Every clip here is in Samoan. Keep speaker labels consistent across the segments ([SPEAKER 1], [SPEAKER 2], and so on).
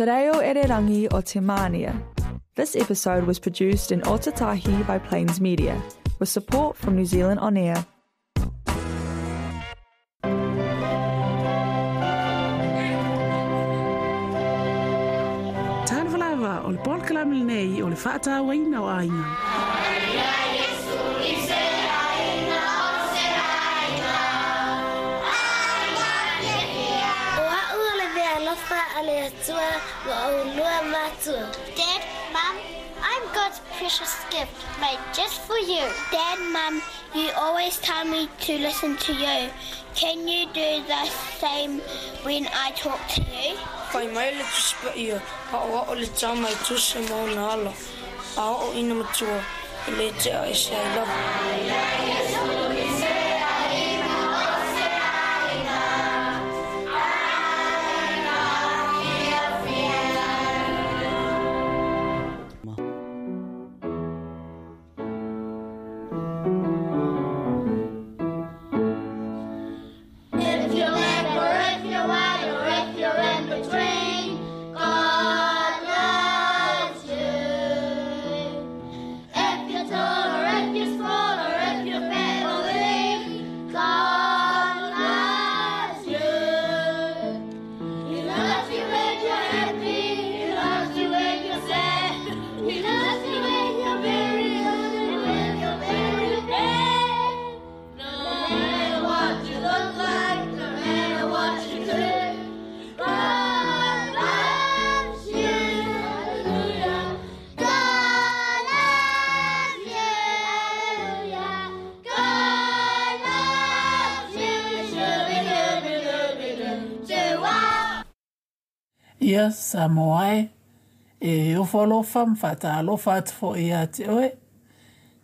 [SPEAKER 1] Te Reo Ererangi o Te Mānia. This episode was produced in Ōtautahi by Plains Media, with support from New Zealand On Air.
[SPEAKER 2] Talofa lava, o le polokalame lenei o le faatauaina o aiga.
[SPEAKER 3] O au o le meaalofa a le Atua ma oulua matua. Dad, Mum, I'm God's precious gift made just for you. Dad, Mum, you always tell me to listen to you. Can you do the same when I talk to you?
[SPEAKER 4] Fai mai le Tusi Paia, Aoao le tama e tusa ma ona ala, a oo ina matua, e le tea ese ai lava.
[SPEAKER 3] If you're black or if you're white or if you're in between, God loves you. If you're tall or if you're small or if you're fat or lean, God loves you. He loves you when you're happy, He loves you when you're sad, He loves you when you're very good and when you're very bad. No matter what you look like, no matter what you do, God loves you. Hallelujah. God loves you. Hallelujah. God loves you. Shoo-be-doo-be-doo-be-doo.
[SPEAKER 2] Ia, Samoa e, e ofo alofa ma faatalofa atu foi ia te oe.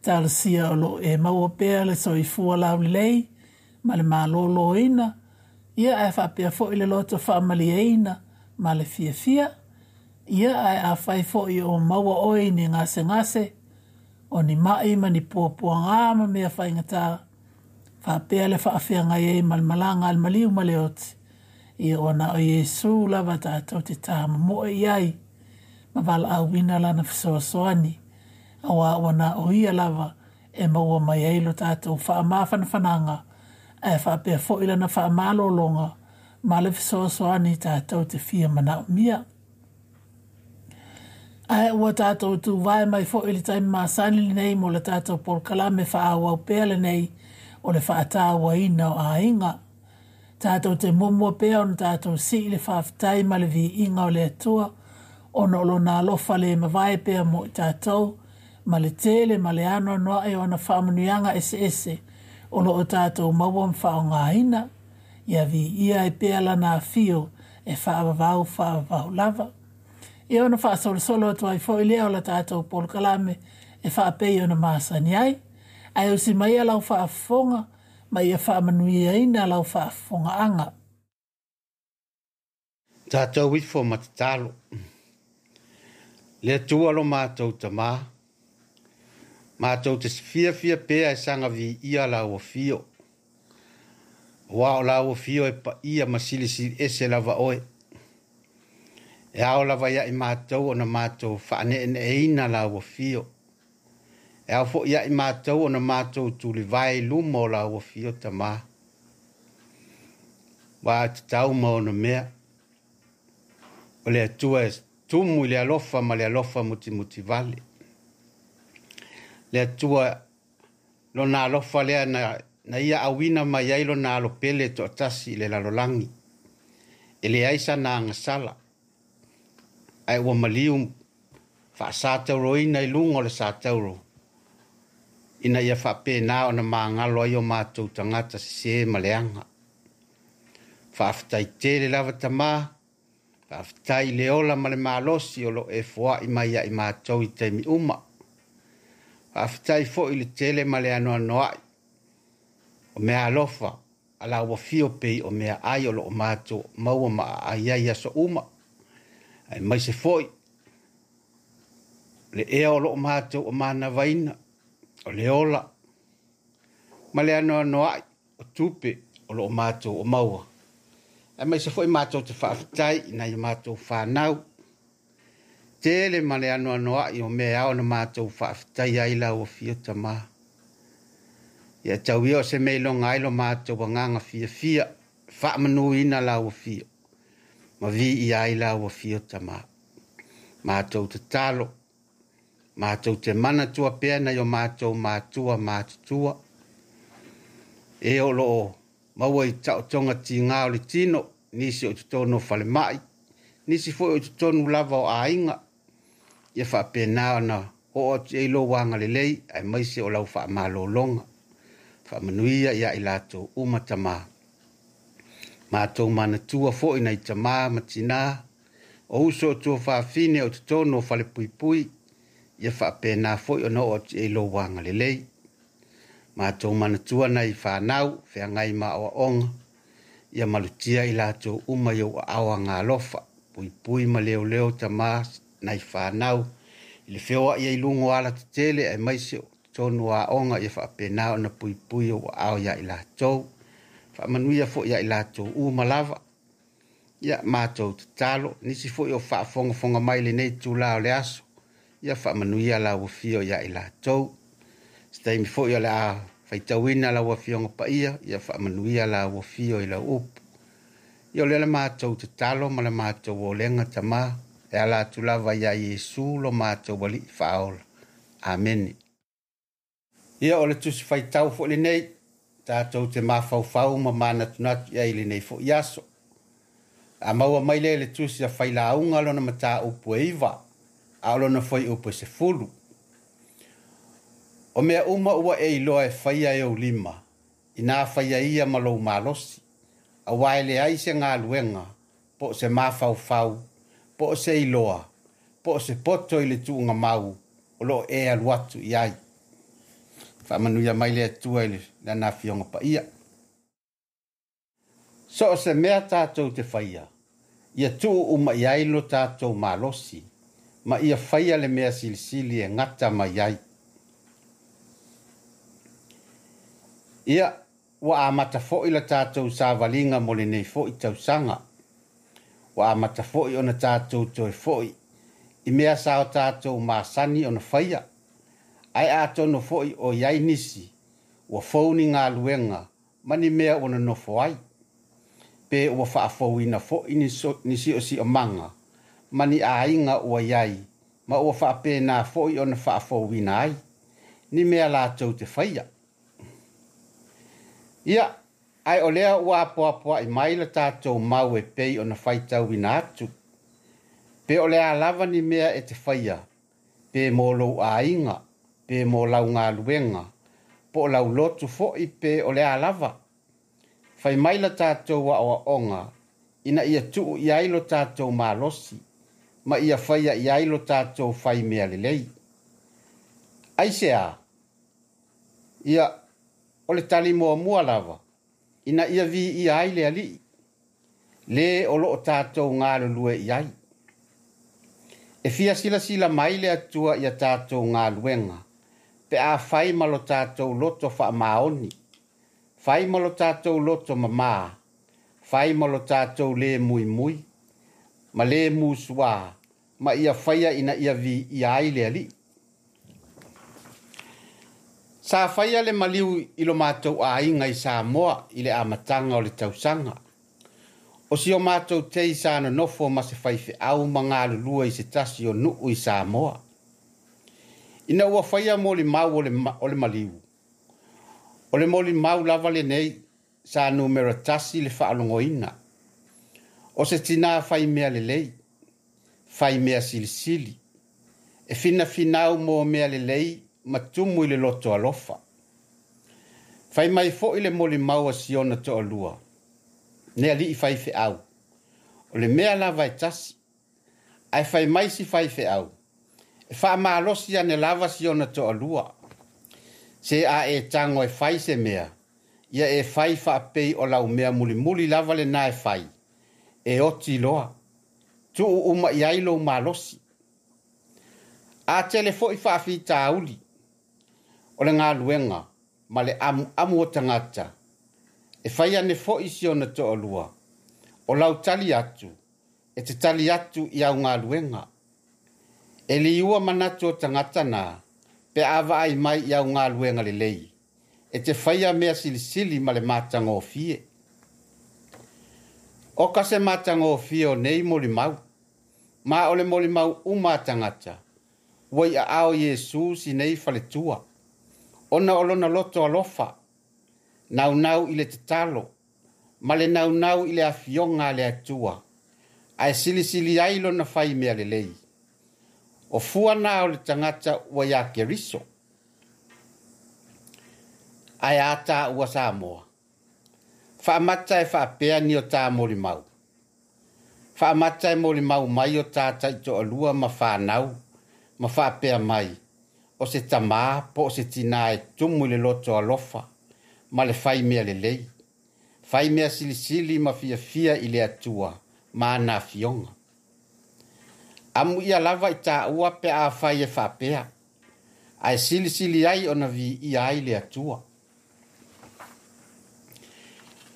[SPEAKER 2] Talosia o loo e maua pea le soifua laulelei ma le malōlōina, ia ae faapea foi le loto faamalieina ma le fiafia. Ia ae afai foi o maua oe i ni gasegase, o ni mai ma ni puapuagā ma mea faigata, faapea le faafeagai ai ma le malaga a le maliu ma le oti. Ia ua na o Iesu lava tatou te tāmomoe i ai, ma valaauina lana fesoasoani, auā ua na o ia lava e maua mai ai lo tatou faamafanafanaga, ae faapea foi lana faamalologa ma le fesoasoani tatou te fia manaomia. Ae ua tatou tuvae mai foi i le taimi masani lenei mo le tatou polokalame faaauau pea lenei o le faatauaina o aiga. Tatou te muamua pea ona tatou sii le faafetai ma le viiga o le Atua ona o lona alofa le mavae pea mo i tatou ma le tele ma le anoanoai o ana faamanuiaga eseese o loo tatou maua ma faaaogaina. Ia viia ai pea lana afio e faavavau faavavau lava. Ia ona faasolosolo atu ai foi lea o la tatou polokalame e faapei ona masani ai. Ae usi mai lau faafofoga ma ia faamanuiaina lau faafofogaaga.
[SPEAKER 5] Tatou ifo ma tatalo. Le Atua lo matou Tamā, matou te fiafia pea e saga viia lau afio. Aua o lau afio e paia ma silisili ese lava oe. E ao lava ia i matou ona matou faaneeneeina lau afio. E ao foi ia i matou ona matou tulivae i luma o lau afio Tamā. Ua e tatau ma ona mea. O le Atua e tumu i le alofa ma le alofa mutimutivale. Le Atua lona alofa lea na ia auina mai ai lona alo pele toatasi i le lalolagi. E leai sana agasala. Ae ua maliu faasatauroina i luga o le satauro. Ina ia faapena ona magalo ai o matou tagata sesē ma leaga. Faafetai tele lava Tamā, faafetai i le ola ma le malosi o loo e foai mai ia i matou i taimi uma. Faafetai foi i le tele ma le anoanoai o mea alofa a lau afio pei o mea ai o loo matou maua ma aai ai aso uma. Aemaise foi le ea o loo matou o manavaina, o le ola ma le anoanoai o tupe o loo matou o maua. Aemaise foi matou te faafetai i nai o matou fanau tele ma le anoanoa'i o mea e ao ona matou faafetaia ai lau afio Tamā. Ia tau ia o se mea e iloga ai lo matou agaga fiafia, faamanuina lau afio, ma viia ai lau afio Tamā. Matou tatalo, matou te manatua pea nai o matou matua matutua, e o loo maua i taotoga tigā o le tino, nisi o i totonu o falemai, nisi foi o i totonu lava o aiga, ia faapena ona oo atu i ai lou agalelei aemaise o lau faamalologa. Faamanuia ia i latou uma Tamā. Matou manatua foi nai tamā ma tinā, o uso o tuafafine o totonu o falepuipui, ia faapena foi ona oo atu i ai lou agalelei. Matou manatua nai fanau, feagai ma aoaoga, ia malutia i latou uma i ou aao agalofa, puipui ma leoleo Tamā nai fanau, i le feoai ai i luga o alatetele aemaise o totonu o aoga, ia faapena ona puipui ou aao ia i latou. Faamanuia foi ia i latou uma lava. Ia matou tatalo, nisi foi o faafogafoga mai i lenei itulā o le aso, ia faamanuia lau afio ia i latou. Se taimi foi o le a faitauina lau Afioga Paia, ia faamanuia lau afio i lau upu. Ia o lea le matou tatalo ma le matou olega Tamā, e ala atu lava ia Iesu lo matou Alii Faaola. Amene. Ia o le Tusi Faitau foi lenei, tatou te mafaufau ma manatunatu i ai i lenei foi aso. A maua mai lea i le Tusi a Failauga lona mataupu e 9, a o lona fuaiupu e 10. O mea uma ua e iloa e faia e ou lima, inā faia ia ma lou malosi, auā e leai se galuega, po o se mafaufau, po o se iloa, po o se poto i le tuugamau o loo e alu atu i ai. Faamanuia mai le Atua i lana Afioga Paia. So o se mea tatou te faia, ia tuu uma i ai lo tatou malosi, ma ia faia le mea silisili e gata mai ai. Ia, ua amata foi la tatou savaliga mo lenei foi tausaga. Ua amata foi ona tatou toe foi i mea sa o tatou masani ona faia, ae atonu foi o i ai nisi ua fou ni galuega ma ni mea ua nonofo ai, pe ua faafouina foi ni siosiomaga ma ni aiga ua i ai, ma ua faapena foi ona faafouina ai ni mea latou te faia. Ia, ae o lea ua apoapoai mai la tatou mau e pei ona faitauina atu, pe o le a lava ni mea e te faia, pe mo lou aiga, pe mo lau galuega, po o lau lotu foi pe o le a lava. Fai mai la tatou aoaoga ina ia tuu i ai lo tatou malosi, ma ia faia i ai lo tatou faimea lelei. Aisea? Ia, o le tali muamua lava, ina ia viia ai le Alii, le o loo tatou galulue i ai. E fia silasila mai le Atua ia tatou galuega, pe a fai ma lo tatou loto faamaoni, fai ma lo tatou loto mamā, fai ma lo tatou lē muimui, ma lē musuā, ma ia faia ina ia viia ai le Alii. Sa faia le maliu i lo matou aiga i Samoa i le amataga o le tausaga. O si o matou tei sa nonofo ma se faifeau ma galulue i se tasi o nuu i Samoa. Ina ua faia molimau o le maliu, o le molimau lava lenei sa numera 1 le faalogoina. O se tinā faimea lelei, faimea silisili, e finafinau mo mea lelei ma tumu i le loto alofa. Fai mai foi le molimau a si ona toalua, le alii faifeau, o le mea lava e tasi, ae fai mai si faifeau, e faamalosi ane lava si ona toalua. Se a e tago e fai se mea, ia e fai faapei o lau mea mulimuli lava lenā e fai, e oti loa, tuu uma i ai lou malosi. A tele foi faafitauli o le galuega ma le amuamu o tagata, e fai ane foi si ona toalua, o lau tali atu, e te tali atu i au galuega. E liua manatu o tagata na, pe a vaai mai i au galuega lelei, e te faia mea silisili ma le matagofie. O ka se matagofie o nei molimau, ma o le molimau uma a tagata, ua i aao Iesu sinei faletua, ona o lona loto alofa, naunau i le tatalo, ma le naunau i le afioga a le Atua, ae silisili ai lona fai mea lelei. O fua na o le tagata ua iā Keriso. Ae a tāua Samoa? Faamata e faapea ni o tā molimau. Faamata e molimau mai o tā taitoalua ma whānau, ma faapea mai, o se tamā po o se tinā e tumu i le loto alofa, ma le fai mea lelei. Fai mea silisili ma fiafia i le Atua, ma ana afioga. Amu ia lava i tāua pe a fai e faapea, ae silisili ai ona viia ai le Atua.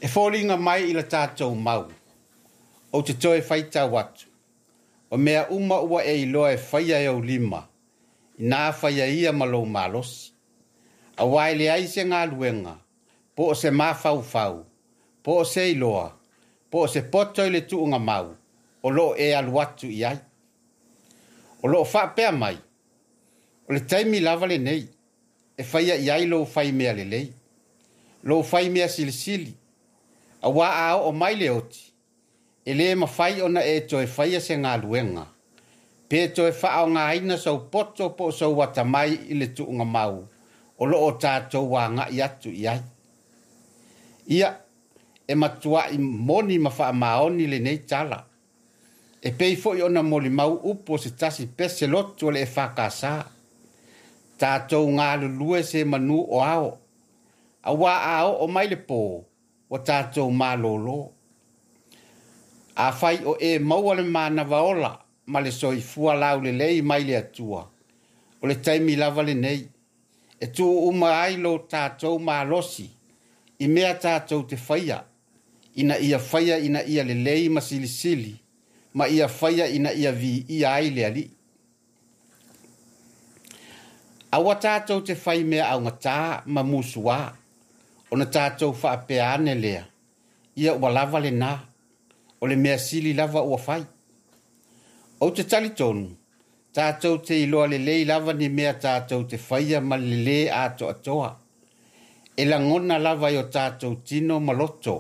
[SPEAKER 5] E foliga mai i la tātou mau, ou te toe faitau atu, o mea uma ua e iloa e faia e ou lima, inā faia ia ma lou malosi. Auā e leai se galuega, po o se mafaufau, po o se iloa, po o se poto i le tuugamau, o loo e alu atu i ai. O loo faapea mai, o le taimi lava lenei, e faia i ai lou fai mea lelei, lou fai mea silisili, auā a oo mai le oti, e lē mafai ona e toe faia se galuega, pe toe faaaogāina sou poto po o sou atamai i le tuugamau, o loo tātou agaʻi atu i ai. Ia, e matuaʻi moni ma faamaoni lenei tala. E pei foʻi ona molimau upu o se tasi pese lotu o le EFKS. Tātou galulue se manū o ao, auā a oo mai le pō, ua tātou malōlō. Afai o e maua le manava ola ma le soifua laulelei mai le Atua, o le taimi lava lenei, e tuu uma ai lo tātou malosi, i mea tātou te faia, ina ia faia ina ia lelei ma silisili, ma ia faia ina ia viia ai le Alii. Aua tātou te fai mea augatā ma musuā, ona tātou faapea ane lea, ia ua lava lenā, o le mea sili lava ua fai. Ou te talitonu, tātou te iloa lelei lava ni mea tātou te faia ma le lē atoatoa. E lagona lava i o tātou tino ma loto,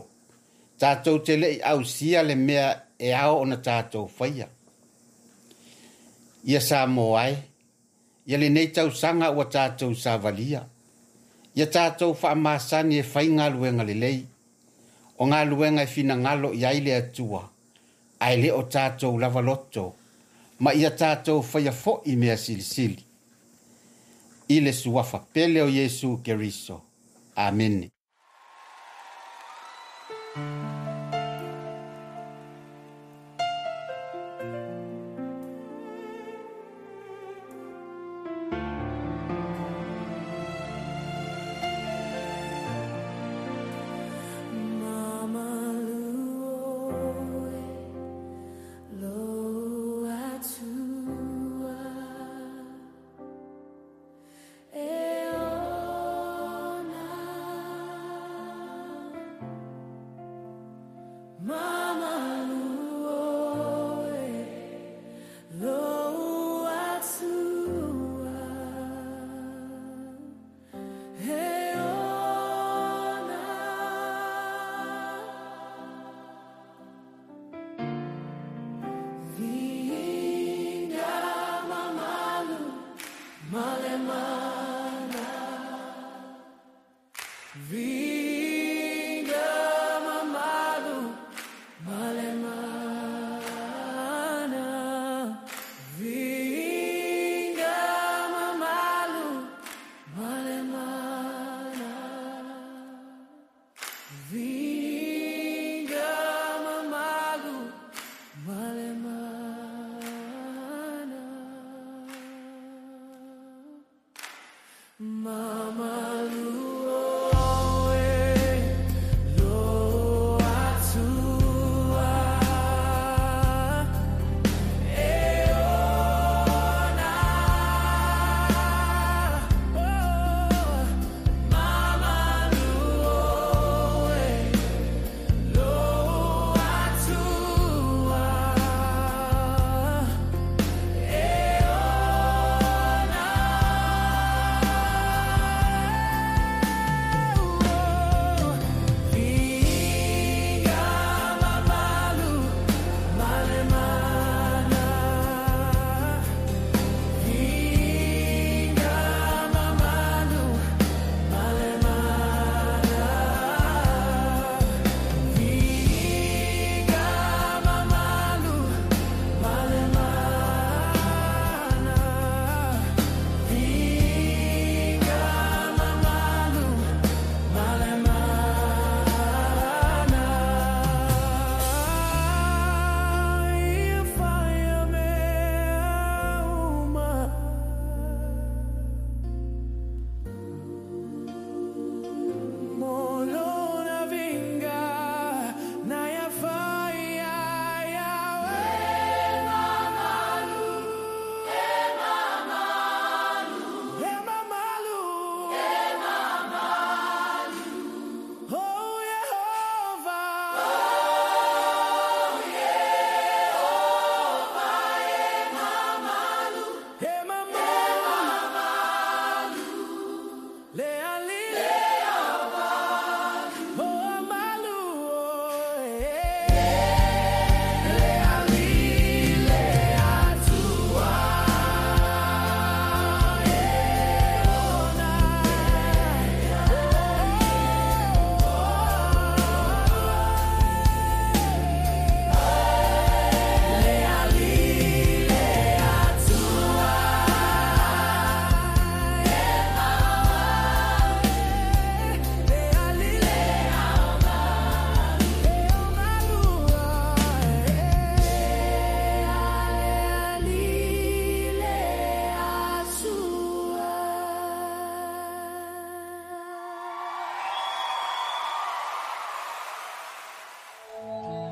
[SPEAKER 5] tātou te leʻi ausia le mea e ao ona tātou faia. Ia Samoa e, ia lenei tausaga ua tātou savalia. Ia tātou faamasani e fai galuega lelei, o galuega e finagalo i ai le Atua, ae lē o tātou lava loto, ma ia tātou faia foʻi mea silisili. I le suafa pele o Iesu Keriso. Amene.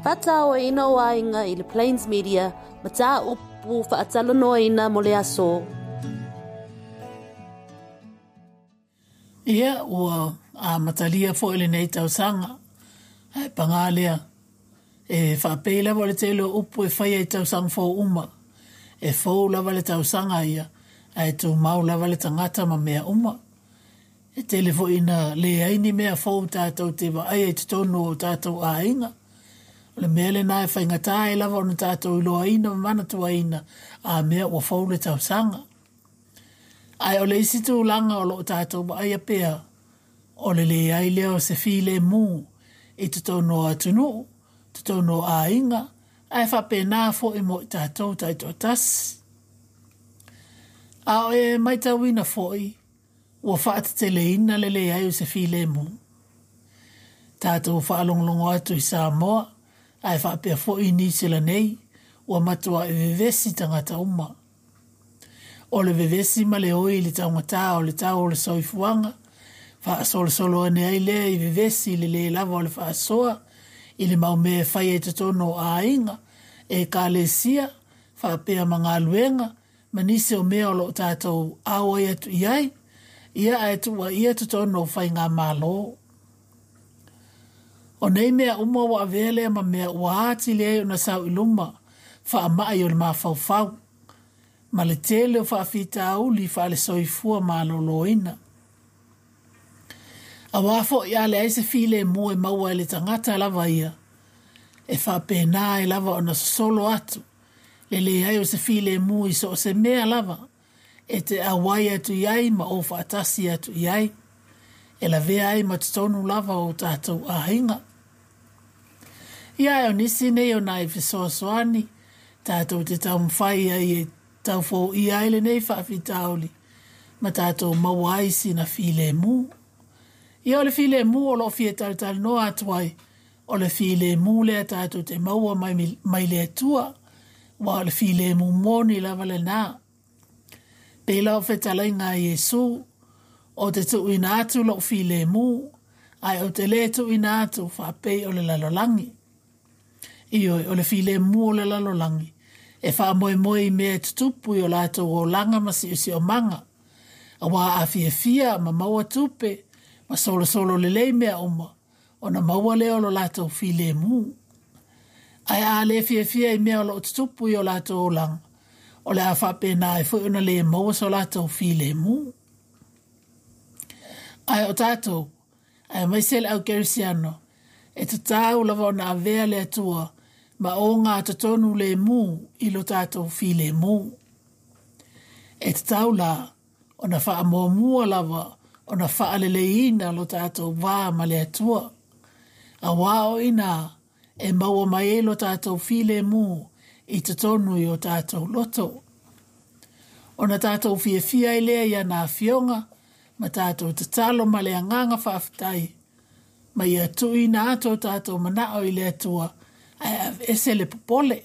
[SPEAKER 6] Faatauaina o aiga i le Plains Media, mataupu faatalanoaina mo le aso.
[SPEAKER 2] Ia, ua amatalia foi lenei tausaga, ae pagā lea, e faapei lava o le tele o upu e faia i tausaga fou uma, e fou lava le tausaga ia, ae tumau lava le tagata ma mea uma. E tele foi ina leai ni mea fou tatou te vaaia i totonu o tatou aiga. O le mea lena e faigata ai lava ona tatou iloaina ma manatuaina a mea ua fou le tausaga. Ae o le isi tulaga o loo tatou vaaia pea, o le leai lea o se filemu i totonu o atunuu, totonu o aiga, ae faapena foi mo i tatou taitoatasi. A o e matauina foi, ua faateteleina le leai o se filemu. Tatou faalogologo atu i Samoa, ae faapea foi i Niu Sila nei, ua matuai vevesi tagata uma. O le vevesi ma le oi i le taugata o le tau o le soifuaga, faasolosolo ane ai lea i vevesi i le lē lava o le faasoa i le mau mea e faia i totonu o aiga, ekalesia, faapea ma galuega, ma nisi o mea o loo tatou auai atu i ai, ia ae tuuaia totonu o faigamalo. O nei mea uma ua avea lea ma mea ua atili ai ona sau i luma faamai o le mafaufau, ma le tele o faafitauli faale-soifua maloloina. Auā foi a leai se filemu e maua e le tagata lava ia, e faapena ai lava ona sosolo atu le leai o se filemu i so o se mea lava e te auai atu i ai ma o faatasi atu i ai, e lavea ai ma totonu lava o tatou aiga. Ia ae o nisi nei o nai fesoasoani tatou te taumafai ai e taufoia ai lenei faafitauli ma tatou maua ai sina filemu. Ia o le filemu o loo fia talatalanoa atu ai, o le filemu lea tatou te maua mai, mai le Atua, aua o le filemu moni lava lena. Pei la o fetalaiga a Iesu, ou te tuuina atu lou filemu, ae ou te lē tuuina atu faapei o le lalolagi. Ioe, o le filemu o le lalolagi, e faamoemoe i mea e tutupu i o latou olaga ma siosiomaga, auā a fiafia ma maua tupe ma solosolo lelei mea uma, ona maua lea o lo latou filemu. Ae a le fiafia i mea o loo tutupu i o latou olaga, o le a faapena ai foi ona lē maua so latou filemu. Ae o tatou, aemaise le au kerisiano, e tatau lava ona avea le Atua ma ogatotonu lemu i lo tatou filemu. E tatau la ona faamuamua lava ona faaleleiina lo tatou va ma le Atua, auā o i inā e maua mai ai lo tatou filemu i totonu i o tatou loto. Ona tatou fiafia ai lea i ana afioga ma tatou tatalo ma le agaga faafetai, ma ia tuuina atu o tatou manao i le Atua ae aveese le popole.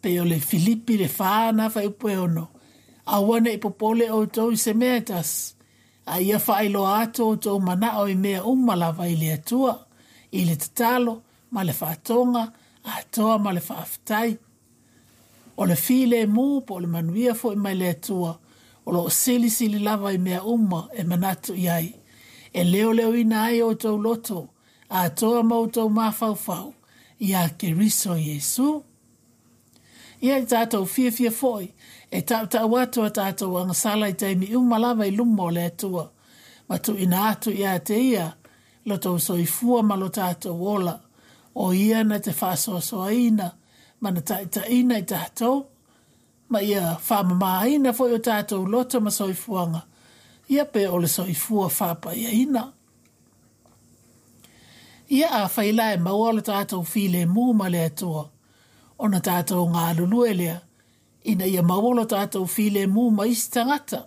[SPEAKER 2] Pei o le Filipi le 4 na fuaiupu e 6, Aua ne i popole outou i se mea e tasi, a ia faailoa atu outou manao i mea uma lava i le Atua, i le tatalo ma le faatoga atoa ma le faafetai. O le filemu po o le manuia foi mai le Atua, o loo silisili lava i mea uma e manatu i ai, e leoleoina ai outou loto atoa ma outou mafaufau iā Keriso Iesu. Ia i tatou fiafia foi e tautau atu a tatou agasala i taimi uma lava i luma o le Atua, ma tuuina atu ia te Ia lo tou soifua ma lo tatou ola, o Ia na te faasoasoaina ma na taitaiina i tatou, ma ia faamamaina foi o tatou loto ma soifuaga, ia pe o le soifua faapaiaina. Ia afai la e maua lo tatou filemu ma le Atua, ona tatou galulue lea ina ia maua lo tatou filemu ma isi tagata.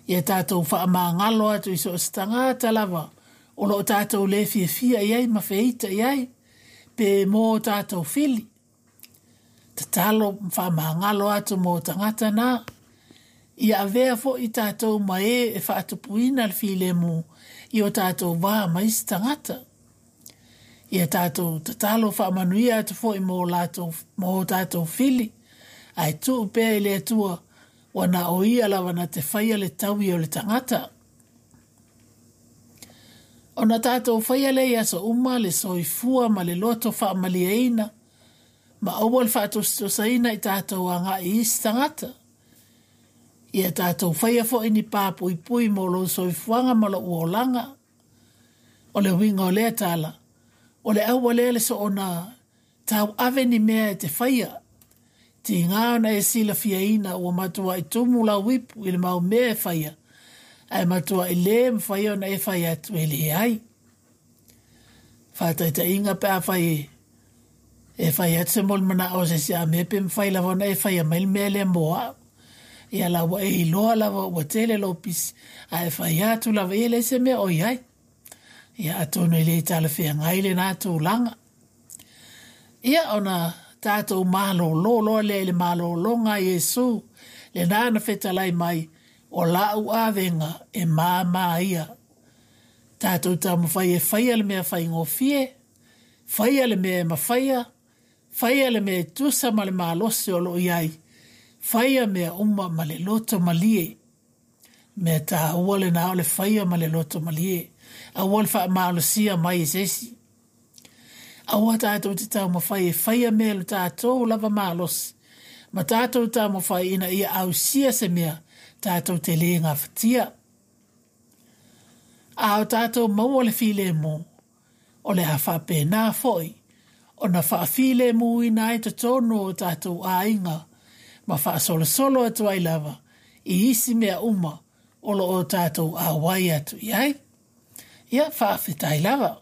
[SPEAKER 2] Ia tatou faamagalo atu i so o se tagata lava o loo tatou lē fiafia i ai ma feita i ai, pe mō tatou fili. Tatalo ma faamagalo atu mō tagata na. Ia avea foi tatou ma e e faatupuina le filemu i o tatou va ma isi tagata. Ia tatou tatalo faamanuia atu foi mo latou mo o tatou fili, ae tuu pea i le Atua, ua na o Ia lava na te faia le taui o le tagata. Ona tatou faia lea i aso uma le soifua ma le loto faamalieina, ma aua le faatosatosaina i tatou agai i isi tagata. Ia tatou faia foi ni pa puipui mo lou soifuaga ma lou olaga. O le uiga o lea tala, o le aua lea le soona tauave ni mea e te faia. Tiga ona e silafiaina ua matuai tumu lau ipu i le mau mea e faia, ae matuai lē mafai ona e fai atu e leai. Faataitaiga pe afai e e fai atu se molimanao o se isi a mea pe mafai lava ona e faia mai le mea lea mo au. Ia la ua e iloa lava ua tele lou pisi, ae fai atu lava ia e leai se mea o i ai. Ia atonu e le talafeagai lena tulaga. Ia ona tatou malōlō loa lea i le malōlōga a Iesu, lena na fetalai mai, O la'u avega e māmā ia. Tatou taumafai e faia le mea faigofie, faia le mea e mafaia, faia le mea e tusa ma le malosi o lo o i ai, faia mea uma ma le loto malie. Mea taua lena o le faia ma le loto malie. Aua le faamalosia mai e se isi. Aua tatou te taumafai e faia mea i lo tatou lava malosi, ma tatou taumafai ina ia ausia se mea tatou te lē gafatia. A o tatou maua le filemu, o le a faapena foi ona faafilemuina ai totonu o tatou aiga ma faasolosolo atu ai lava i isi mea uma o lo o tatou auai atu i ai. Ia, faafetai lava.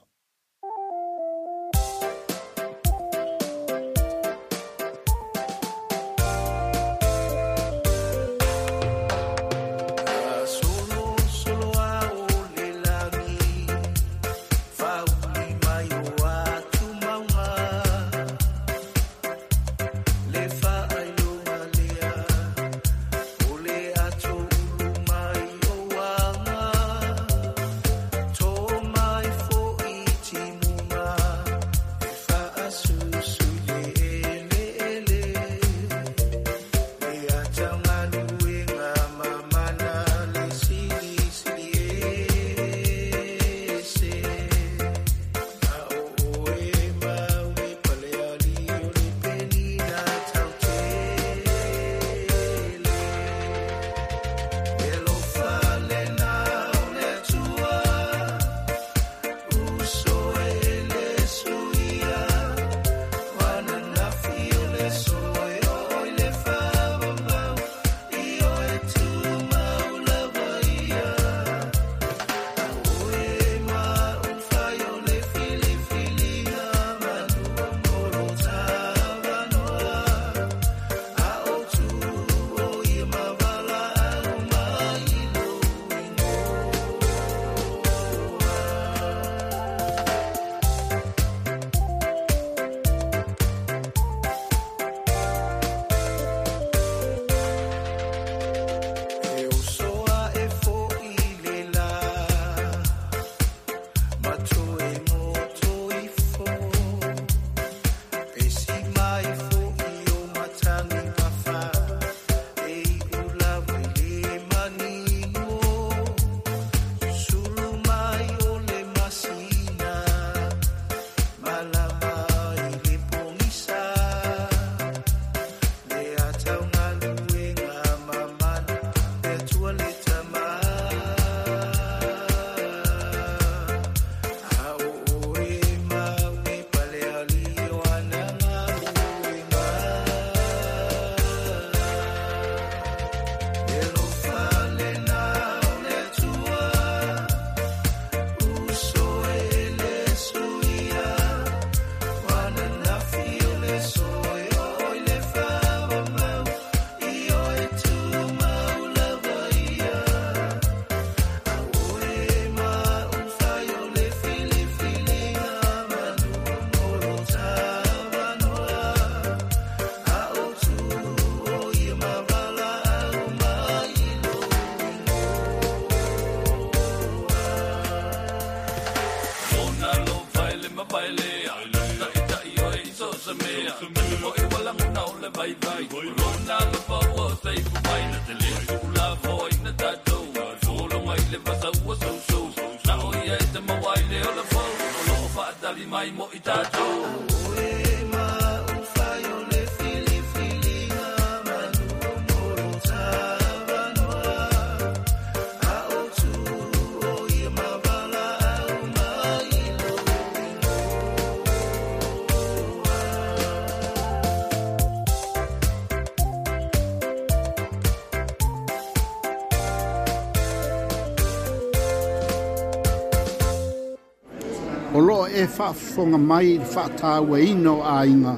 [SPEAKER 7] O loo e faafofoga mai i le faatauaina o aiga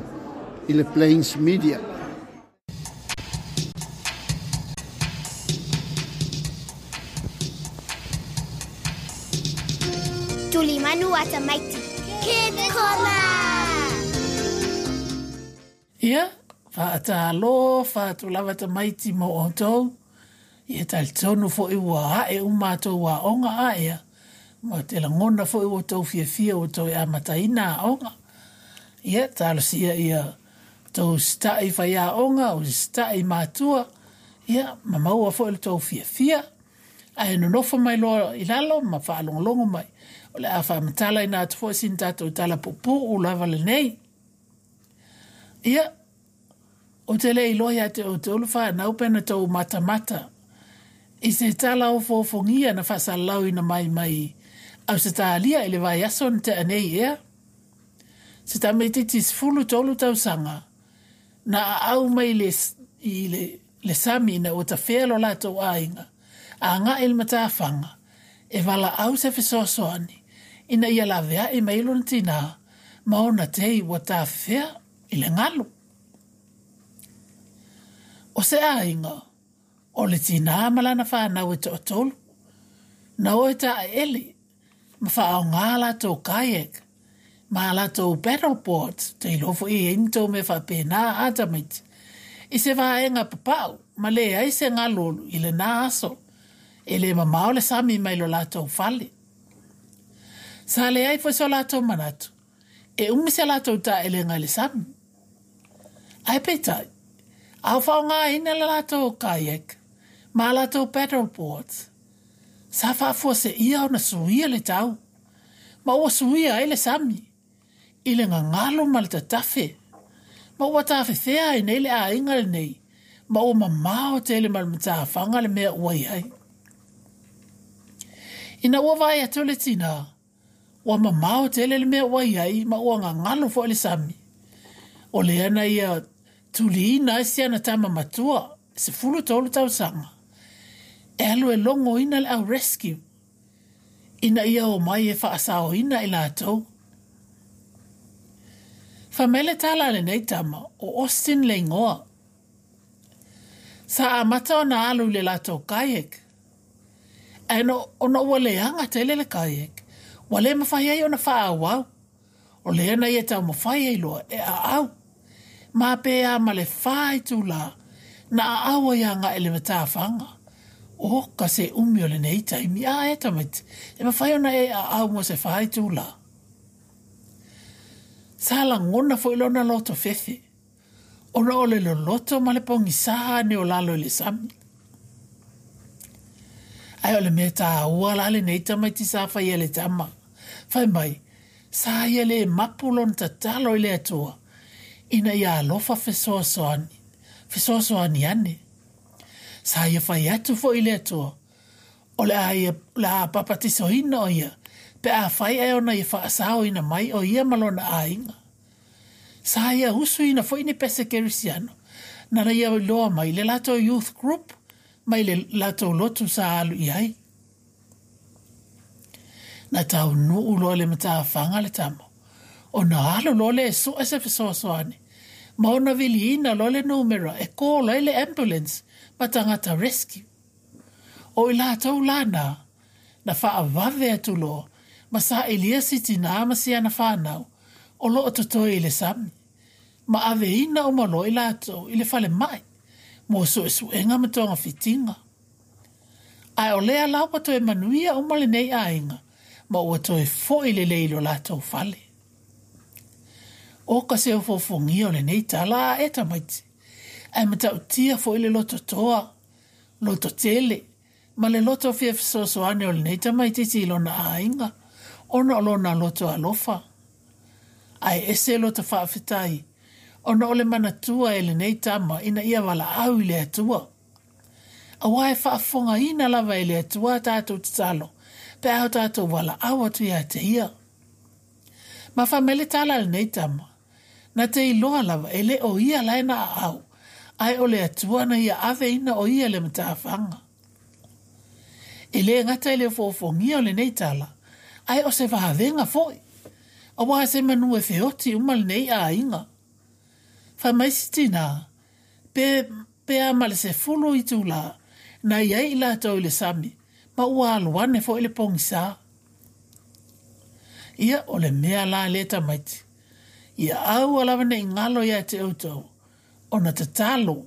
[SPEAKER 7] i le Plains Media.
[SPEAKER 3] Tulimanu a tamaiti. Kid Corner!
[SPEAKER 2] Ia, faatalofa atu lava tamaiti mo outou. Ia talitonu foi ua ae uma a outou aoga aea, ma ou te lagona foi ua outou fiafia ua toe amataina aoga. Ia, talosia ia outou usitai faiaoga, usitai matua, ia, ma maua foi lo outou fiafia. Ae nonofo mai loa i lalo ma faalogologo mai, o le a faamatalaina atu foi sina tatou tala puupuu lava lenei. Ia, ou te le iloa ia te outou le fanau pe na tou matamata i se tala ofoofogia na faasalalauina mai mai Ausetalia i le vaiaso na tea nei ea. Se tamaitiiti 13 tausaga na aau mai le, i le, le sami ina ua tafea lo latou aiga, agai i le matafaga e valaau se fesoasoani ina ia laveai mai lona tinā ma ona tei ua tafefea i le galu. O se aiga, o le tinā ma lana fanau e toatolu, na o e taeele ma faaaogā latou kayak ma a latou paddle boards, te iloa foi e i ai ni tou mea faapena a tamaiti, i se vaega papau ma leai se galu i lena aso, e le mamao le sami mai lo latou fale. Sa leai foi so latou manatu e umi se latou taelega i le sami. Ae peitai, a o faaaogaina le latou kayak ma a latou paddle boards, sa faafuaseia ona suia le tau, ma ua suia ai le sami i le gagalo ma le tatafe, ma ua tafefea ai nei le aiga lenei, ma ua mamao tele ma le matafaga le mea ua i ai. Ina ua vaai atu le tinā, ua mamao tele le mea ua i ai ma ua gagalo foi le sami. O lea na ia tuliina ai si ana tama matua, 13 tausaga, e alu e logoina le au rescue, ina ia omai e faasaoina i latou. Fai mai le tala a lenei tama, o Austin le igoa. Sa amata ona alu i le latou kayak, ae ona ua leaga tele le kayak, ua le mafai ai ona faaauau. O lea na ia taumafai ai loa e aau. Ma pe a ma le 4 itulā na aau ai agai i le matafaga. O ka se umi o lenei taimi a e tamaiti, e mafai ona e aau mo se 4 itulā. Sa lagona foi lona loto fefe, ona o le loloto ma le pogisā ane o lalo i le sami. Ae o le mea taua la lenei tamaiti sa faia e le tama. Fai mai, sa ia le mapu lona tatalo i le Atua, ina ia alofa fesoasoani, fesoasoani ane. Sa ia fai atu foi i le Atua, o le a ia, o le a papatisoina o ia, pe afai ae ona ia faasaoina mai o ia ma lona aiga. Sa ia usuina foi ni pese kerisiano, nana ia iloa mai le latou youth group, mai le latou lotu sa alu i ai. Na taunuu loa le matafaga le tama, ona alu loa lea e sue se fesoasoani, ma ona viliina loa le numera e call ai le ambulance ma tagata rescue. O i latou la na, na faavave atu loa ma sailia si tinā ma si ana fanau o loo totoe i le sami, ma aveina uma loa i latou i le falemai mo suesuega ma togafitiga. Ae o lea la ua toe manuia uma lenei aiga ma ua toe foi lelei i lo latou fale. O ka se ofoofogia o lenei tala a e tamaiti. Ae matautia foi le loto toa, loto tele, ma le loto fia fesoasoani o lenei tamaitiiti i lona aiga, ona o lona loto alofa. Ae ese loto faafetai, ona o le manatua e lenei tama ina ia valaau i le Atua. Aua e faafofogaina lava e le Atua a tatou tatalo, pe a o tatou valaau atu ia te Ia. Ma fai mai le tala a lenei tama, na te iloa lava e le o ia la e na aau, ae o le Atua na ia aveina o ia le matafaga. E le gata i le ofoofogia o lenei tala, ae o se vavega foi, aua se manu e feoti uma lenei aiga. Fai mai si tinā, pe, pe a ma le 10 itulā, na i ai i latou i le sami, ma ua alu ane foi le pogisā. Ia, o le mea la lea tamaiti, ia aua lava ne i galo ia te outou, ona tatalo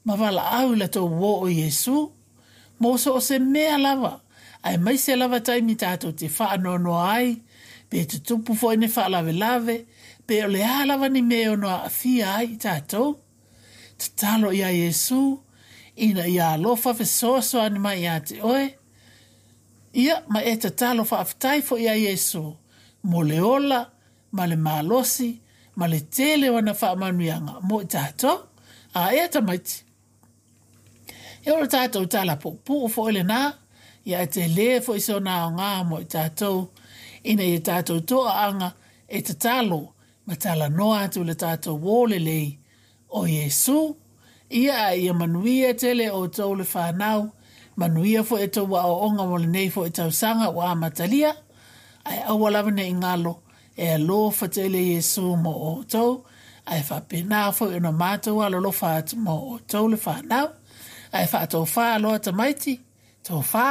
[SPEAKER 2] ma valaau i la tou uō o Iesu, mo so o se mea lava, aemaise lava taimi tatou te faanoanoa ai, pe tutupu foi ni faalavelave, pe o le a lava ni mea e ono aafia ai i tatou. Tatalo iā Iesu, ina ia alofa fesoasoani mai ia te oe, ia, ma e tatalo faafetai foi iā Iesu mo le ola ma le malosi ma le tele o ana faamanuiaga mo i tatou. A ea tamaiti? Ia o le tatou tala puupuu foi lenā, ia ae tele foi sona aoga mo i tatou, ina ia tatou toaaga e tatalo ma talanoa atu i le tatou uō lelei o Iesu. Ia ae ia manuia tele outou le fanau, manuia foi a outou aoaoga mo lenei foi tausaga ua amatalia, ae aua lava ne i galo e alofa tele Iesu mo outou, ae faapena foi ona matou alolofa atu mo outou le fanau. Ae faatofā loa tamaiti, tofā.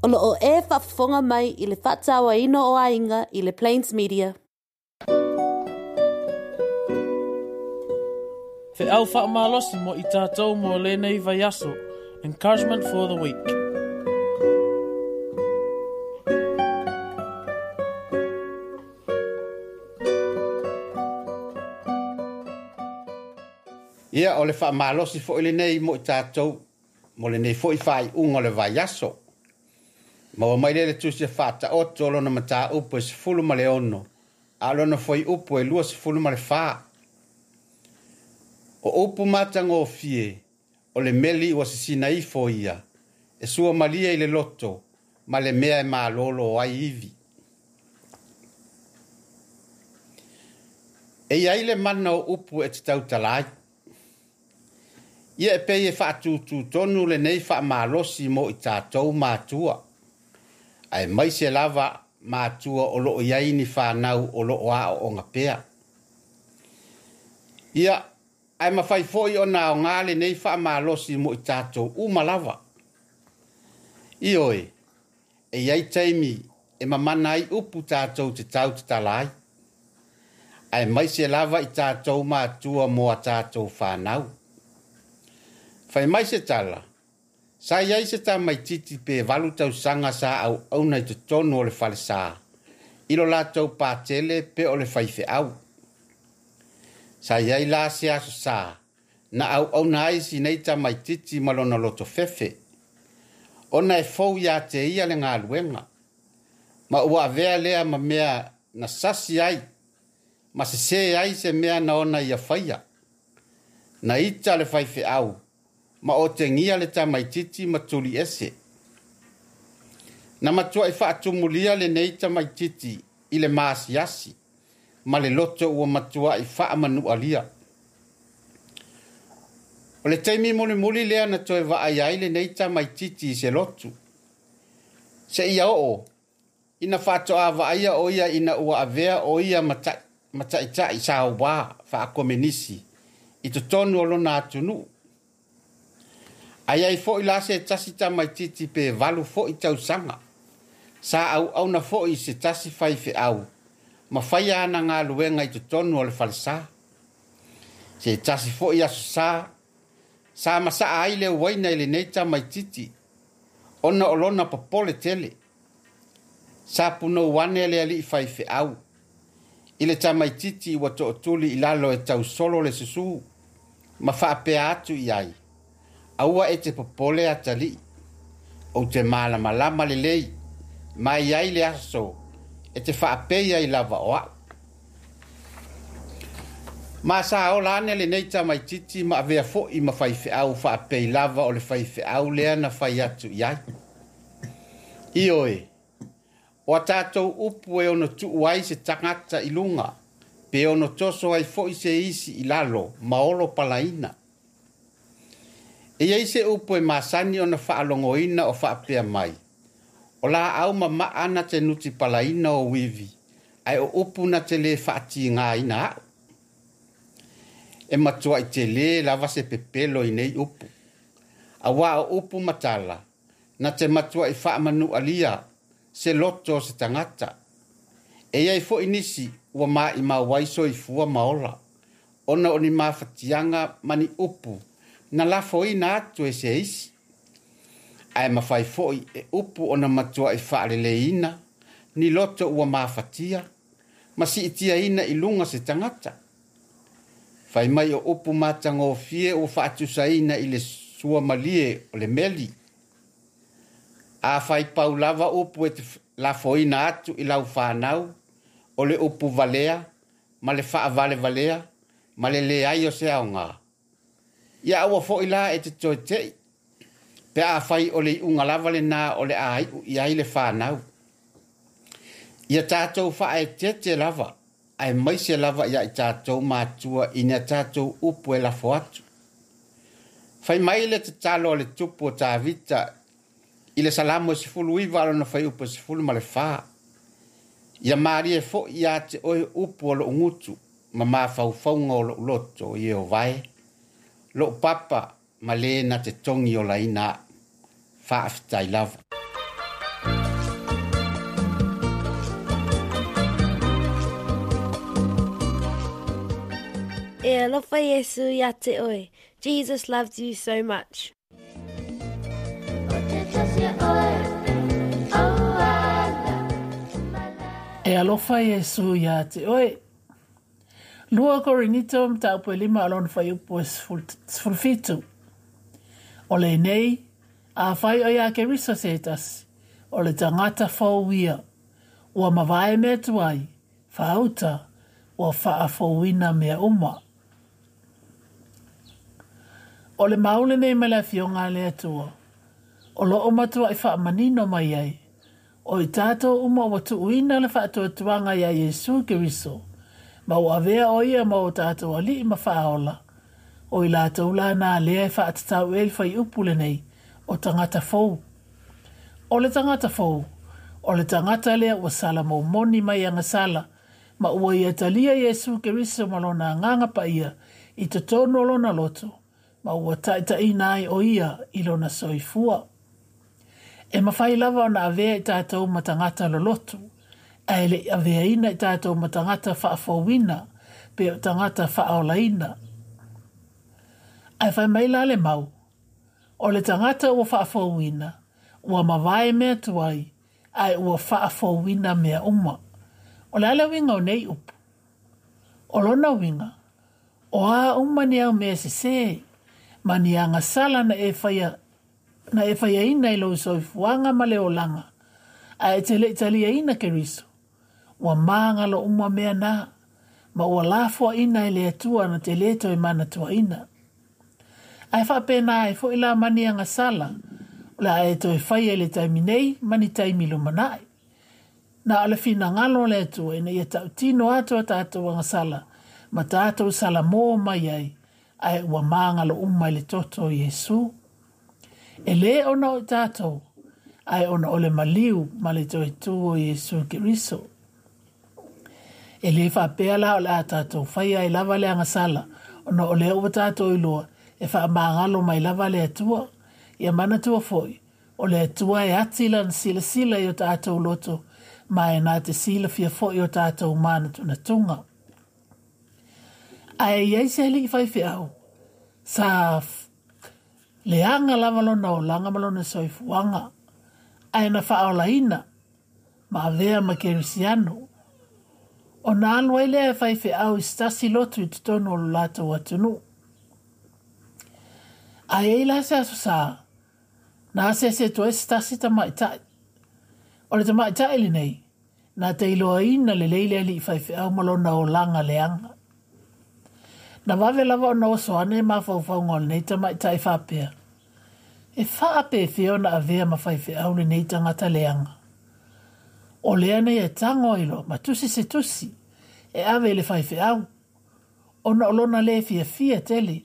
[SPEAKER 6] O lo o e faafofoga mai i le faatauaina o aiga i le Plains Media.
[SPEAKER 8] Feau faamalosi mo i tatou mo lenei vaiaso. Encouragement for the week.
[SPEAKER 5] Ia, o le faamalosi foi lenei mo i tatou mo lenei foi faaiuga o le vaiaso. Maua mai lea le Tusi e Faataoto o lona mataupu e 16, a o lona fuaiupu e 24. O upu matagofie, o le meli ua sisina ifo ia, e suamalie i le loto, ma le mea e malolo ai ivi. E i ai le mana o upu e te tautala ai. Ia e pei e faatututonu lenei faamalosi mo i tatou matua, aemaise lava matua o loo i ai ni fanau o loo aooga pea. Ia, ae mafai foi ona aoga lenei faamalosi mo i tatou uma lava. Ioe, e i ai taimi e mamana ai upu tatou te tautatala ai, aemaise lava i tatou matua mo a tatou fanau. Fai mai se tala, sa i ai se tamaitiiti pe 8 tausaga sa auauna i totonu o le falesa, i lo latou patele pe o le faifeau. Sa i ai la se aso sa, na auauna ai sinei tamaitiiti ma lona loto fefe, ona e fou ia te ia le galuega, ma ua avea lea ma mea na sasi ai, ma sesē ai se mea na ona ia faia. Na ita le faifeau, ma otegia le tamaitiiti ma tuli ese. Na matuai faatumulia lenei tamaitiiti i le maasiasi, ma le loto ua matuai faamanualia. O le taimi mulimuli lea na toe vaai ai lenei tamaitiiti i se lotu. Seia oo, ina faatoa vaaia o ia ina ua avea o ia ma taitai sauā faakomenisi i totonu o lona atunuu. Ae i ai foi la se tasi tamaitiiti pe 8 foi tausaga, sa auauna foi i se tasi faifeau, ma faia ana galuega i totonu o le falesa. Se tasi foi aso sa, sa masaa ai le uaina i lenei tamaitiiti, ona o lona popole tele. Sa punou ane le alii faifeau, i le tamaitiiti ua tootuli i lalo e tausolo le susū, ma faapea atu i ai, aua e te popole atalii, ou te malamalama lelei, ma i ai le aso e te faapei ai lava o au. Ma sa ola ane lenei tamaitiiti ma avea foi ma faifeau faapei lava o le faifeau lea na fai atu i ai. Ioe, o a tatou upu e ono tuu ai se tagata i luga, pe ono toso ai foi se isi i lalo, ma olo palaina. E i ai se upu e masani ona faalogoina o faapea mai, o laau mamaa na te nuti palaina o uivi, ae o upu na te lē faatigaina au. E matuai telē lava se pepelo i nei upu. Auā o upu ma tala, na te matuai faamanualia se loto o se tagata. E i ai foi nisi ua maimau ai soifua ma ola, ona o ni mafatiaga ma ni upu na lafoina atu e se isi. Ae mafai foi e upu ona matuai faaleleina ni loto ua mafatia, ma siitiaina i luga se tagata. Fai mai o upu matagofie ua faatusaina i le suamalie o le meli. A fai pau lava upu e te lafoina atu i lau fanau, o le upu valea, ma le faavalevalea, ma le leai o se aoga. Ia aua foi la e te toe tei, pe a fai o le iuga lava lenā o le a iu i ai le fanau. Ia tatou faaeteete lava, aemaise lava ia i tatou matua i ni a tatou upu e lafo atu. Fai mai le tatalo a le tupu o Tavita i le Salamo e 19 lona fuaiupu e 14. Ia malie foi ia te oe upu o lou gutu, ma mafaufauga o lou loto, Ieova e, lou papa ma le na te togi olaina au. Faafetai lava.
[SPEAKER 3] E alofa Iesu ia te oe. Jesus loves you so much.
[SPEAKER 2] E alofa Iesu ia te oe. 2 Korinito mataupu e 5 lona fuaiupu e 17. O lenei, afai o ia Keriso se tasi, o le tagata fou ia, ua mavae mea tuai, faauta, ua faafouina mea uma. O le mau lenei mai le Afioga a le Atua, o loo matuai faamanino mai ai, o i tatou uma ua tuuina le faatuatuaga ia Iesu Keriso, Ma ua avea ʻo ia ma o tātou aliʻi ma Faaola, ʻo i lātou la nā lea e faatatau i ai le fuaiupu lenei, o tagata fou. ʻO le tagata fou, ʻo le tagata lea ua sala momoni mai agasala, ma ua ia talia Iesū Keriso ma lona agaga paia i totonu o lona loto, ma ua taʻitaʻina ai ʻo ia i lona soifua. E mafai lava ona avea i tātou ma tagata lolotu, ae e leʻi aveaina i tātou ma tagata faafouina, pe o tagata faaolaina. Ae fai mai la le mau, o le tagata ua faafouina, ua mavae mea tuai, ae ua faafouina mea uma. O le a le uiga o nei upu? O lona uiga, o a uma ni au mea sesē, ma ni agasala na e faia na e faiaina i lou soifuaga ma le olaga, ae e te leʻi taliaina Keriso, ua magalo uma mea na, ma ua lafoaʻina e le Atua na te lē toe manatuaina. Ae faapena ai foʻi la ma ni agasala, o le a e toe faia i le taimi nei ma ni taimi lumanaʻi. Na o le finagalo o le Atua ina ia taʻutino atu a tātou agasala ma tātou salamō mai ai, ae ua magalo uma i le toto o Iesū. E lē ona o i tātou, ae ona o le maliu ma le toe tū o Iesū Keriso. E lē faapea la o le a tātou faia ai lava le agasala, ona o lea ua tātou iloa e faamagalo mai lava le Atua. Ia manatua foʻi, o le Atua e ati lana silasila i o tātou loto, ma e na te silafia foʻi o tātou mānatunatuga. Ae i ai se aliʻi faifeau, sa leaga lava lona olaga ma lona soifuaga, ae na faaolaina ma avea ma Kerisiano. Ona alu ai lea e faifeau i se tasi lotu i totonu o lo latou atunuu. Ae i ai la se aso sa, na asiasi atu ai se tasi tamaʻitaʻi. O le tamaʻitaʻi lenei, na te iloaina lelei le aliʻi faifeau ma lona olaga leaga. Na vave lava ona oso ane mafaufauga o lenei tamaʻitaʻi faapea, E faapefea ona avea ma faifeau lenei tagata leaga? O lea na ia tago ai loa ma tusi se tusi e ave i le faifeau, ona o lona lē fiafia tele.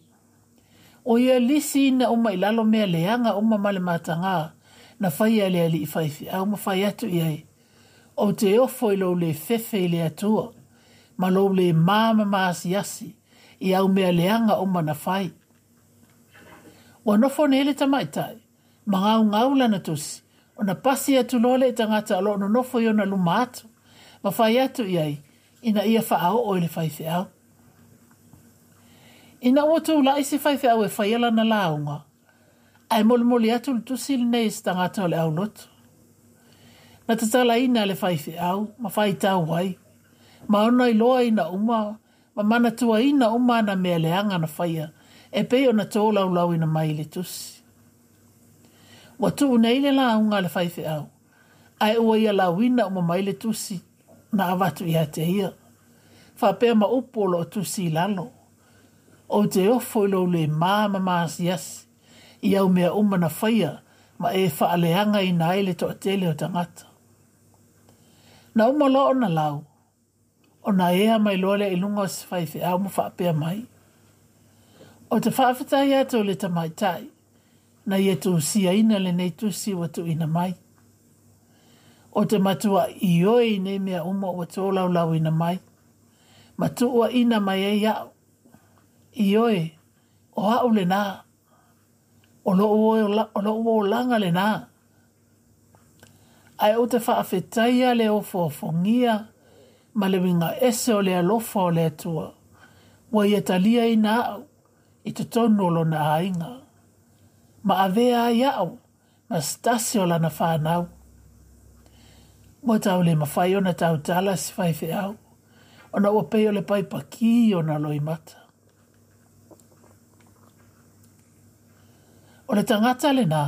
[SPEAKER 2] ʻO ia lisiina uma i lalo mea leaga uma ma le matagā na faia e le aliʻi faifeau ma fai atu i ai, Ou te ofo i lou lē fefe i le Atua, ma lou lē māmama asiasi i au mea leaga uma na fai. Ua nofo nei le tamaʻitaʻi, ma gaugau lana tusi, ona pasi atu loa lea i tagata o loo nonofo i ona luma atu, ma fai atu i ai, ina ia faaoo i le faifeau. Ina ua tulaʻi se faifeau e faia lana lauga, ae molimoli atu le tusi lenei e se tagata o le aulotu. Na tatalaina e le faifeau ma faitau ai, ma ona iloaina uma ma manatuaina uma ana mea leaga na faia e pei ona tolaulauina mai i le tusi. Ua tuu nei le lauga a le faifeau, ae ua ia lauina uma mai le tusi na avatu ia te ia. Faapea ma upu o loo tusi i lalo, Ou te ofo i lou lē māmama asiasi i au mea uma na faia ma e faaleagaina ai le toatele o tagata. Na uma loa ona lau, ona ea mai loa lea i luga o se faifeau ma faapea mai, Ou te faafetai atu i le tamaitai na ia tusiaina lenei tusi ua tuuina mai. Ou te matuaʻi ioe i nei mea uma ua tolaulauina mai, ma tuuaʻina mai ai aʻu. Ioe, o aʻu lenā. O loʻu o loʻu olaga lenā. Ae ou te faafetaia le ofoofogia ma le uiga ese o le alofa o le Atua, ua ia taliaina aʻu i totonu o lona aiga, ma avea ai aʻu ma se tasi o lana fanau. Ua tau le mafai ona tautala se faifeau, ona ua pei o le paipa kī ona loimata. O le tagata lenā,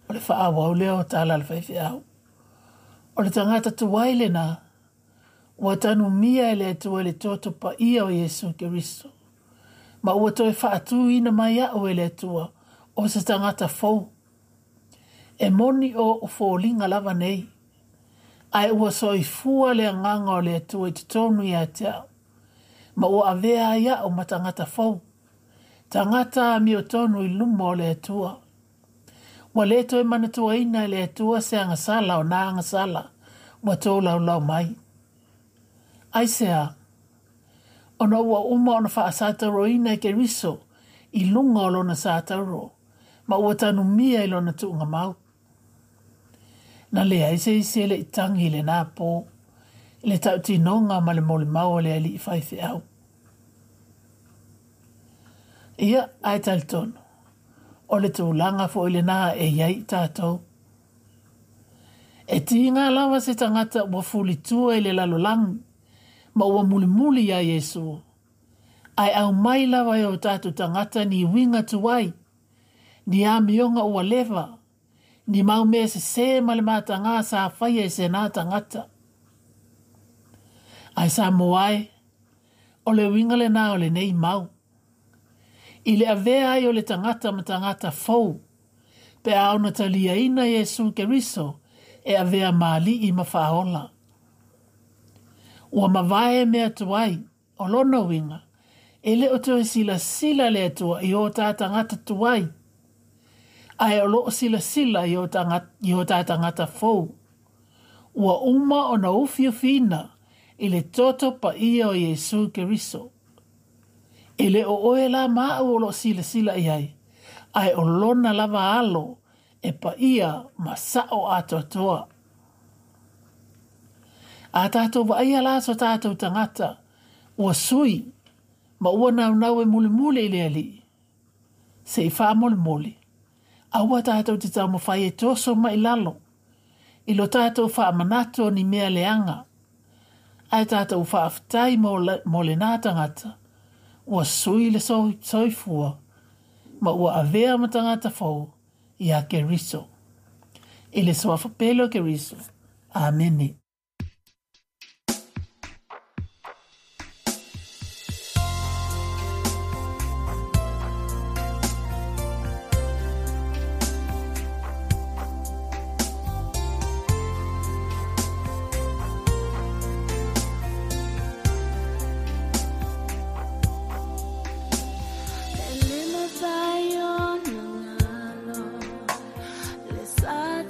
[SPEAKER 2] o le faaauau lea o tala a le faifeau. O le tagata tuai lenā, ua tanumia e le Atua i le toto paia o Iesū Keriso, ma ua toe faatūina mai aʻu e le Atua o se tagata fou. E moni o oʻu foliga lava nei, ae ua soifua le agaga o le Atua i totonu ia te aʻu. ma ua avea ai a'u ma tagata fou, tagata amiotonu i luma o le Atua. Ua lē toe manatuaina e le Atua se agasala o nā agasala ua tolaulau mai. Aisea? Ona ua uma ona faasatauroina e Keriso i luga o lona satauro, ma ua tanumia i lona tuugamau. Na leai se isi e le i tagi i lenā pō, i le tautinoga ma le molimau a le alii faifeau. Ia, ae talitonu, o le tulaga foi lenā e i ai i tatou. E tiga lava se tagata ua fulitua i le lalolagi ma ua mulimuli iā Iesu, ae aumai lava e o tatou tagata ni uiga tuai, ni amioga ua leva, ni mau mea sesē ma le matagā sa faia e senā tagata. Ae Samoa e, o le uiga lenā o lenei mau. I le avea ai o le tagata ma tagata fou, pe a ona taliaina Iesu Keriso e avea ma Alii ma Faaola. Ua mavae mea tuai, o lona uiga, e le o toe silasila le Atua i o tā tagata tuai, ae o loo silasila i o tā tagata fou. Ua uma ona ufiufiina i le toto paia o Iesu Keriso. E le o oe la ma a'u o loo silasila i ai, ae o lona lava alo e paia ma sa'o atoatoa. A tatou vaaia la so tatou tagata ua sui ma ua naunau e mulimuli i le Alii, se i faamolemole, aua tatou te taumafai e toso mai lalo i lo tatou faamanatu o ni mea leaga, ae tatou faafetai mo lenā tagata ua sui le soifua ma ua avea ma tagata fou iā Keriso. I le suafa pele o Keriso. Amene.
[SPEAKER 3] Le sa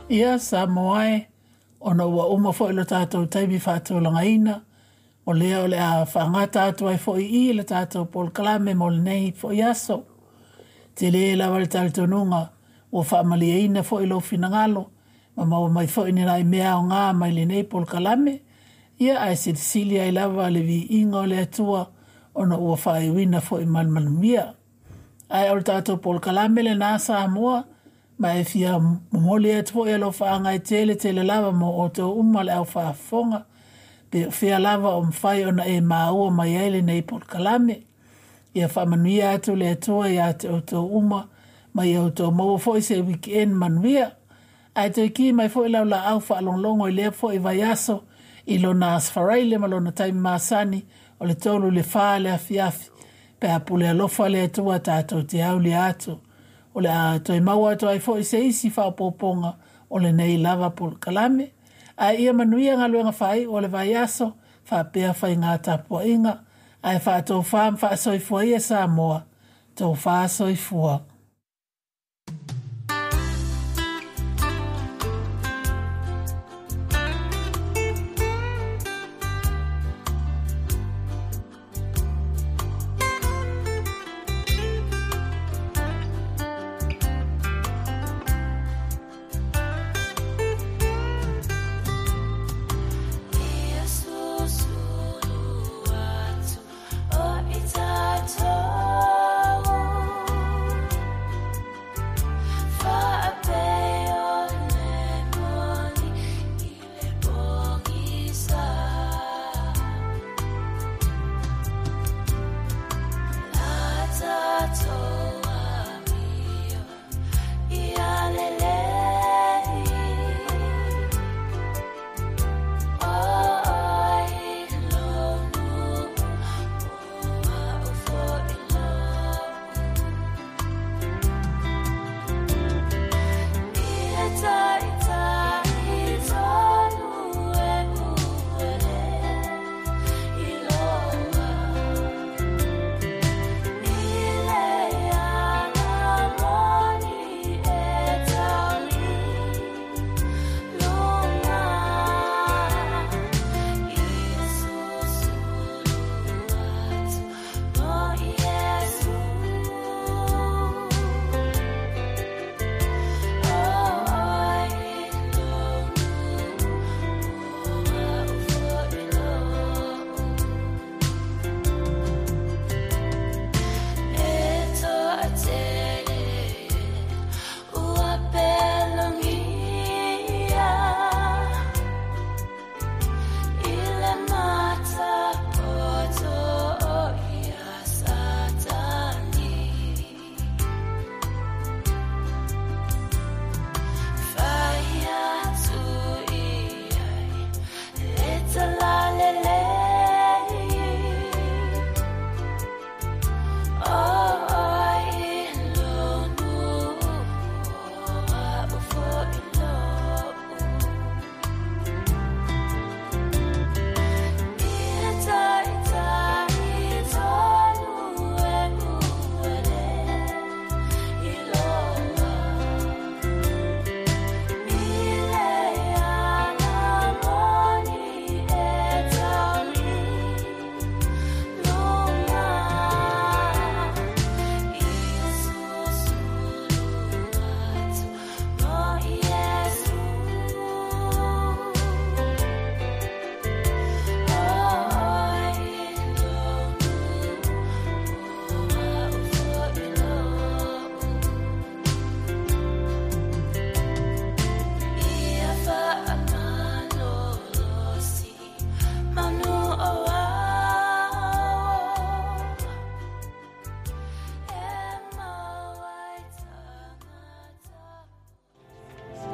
[SPEAKER 2] Ia, Samoa e, ona ua uma foi lo tatou taimi faatulagaina, o lea o le a faagata atu ai foi i i le tatou polokalame mo lenei foi aso. Tele lava le talitonuga ua faamalieina foi lou finagalo ma maua mai foi ni nai mea aoga mai lenei polokalame, ia ae silisili ai lava le viiga o le Atua ona ua faaiuina foi ma le manuia. Ae o le tatou polokalame lenā Samoa, ma e fia momoli atu foi alofaaga e tele tele lava mo outou uma le au faafofoga, pe o fea lava o mafai ona e maua mai ai lenei polokalame. Ia faamanuia atu le Atua iā te outou uma, ma ia outou maua foi se weekend manuia. Ae toe ki mai foi lau laau faalogologo i lea foi vaiaso i lona Aso Faraile ma lona taimi masani o le 3 i le 4 i le afiafi, pe a pule alofa le Atua tatou te aulia atu. O le a toe maua atu ai foi se isi faaopoopoga o lenei lava polokalame. Ae ia manuia galuega faaiu o le vaiaso, faapea faiga tapuaiga, ae faatofā ma faasoifua ia Samoa, tofā soifua.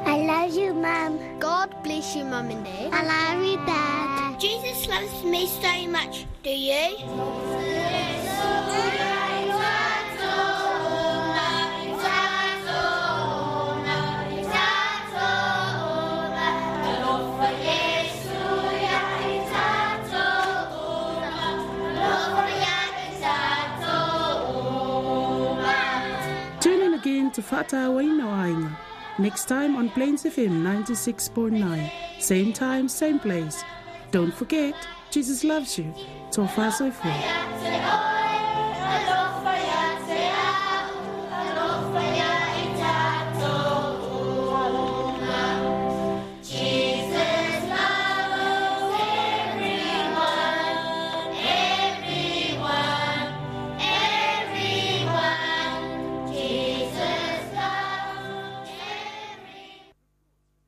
[SPEAKER 3] I love you, Mum. God bless you, Mum and Dad. I love you, Dad. Jesus loves me so much. Do you?
[SPEAKER 9] Tune in again to Whātāwaina o Aiga. Next time on Plains FM 96.9. Same time, same place. Don't forget, Jesus loves you. Tofa soifua.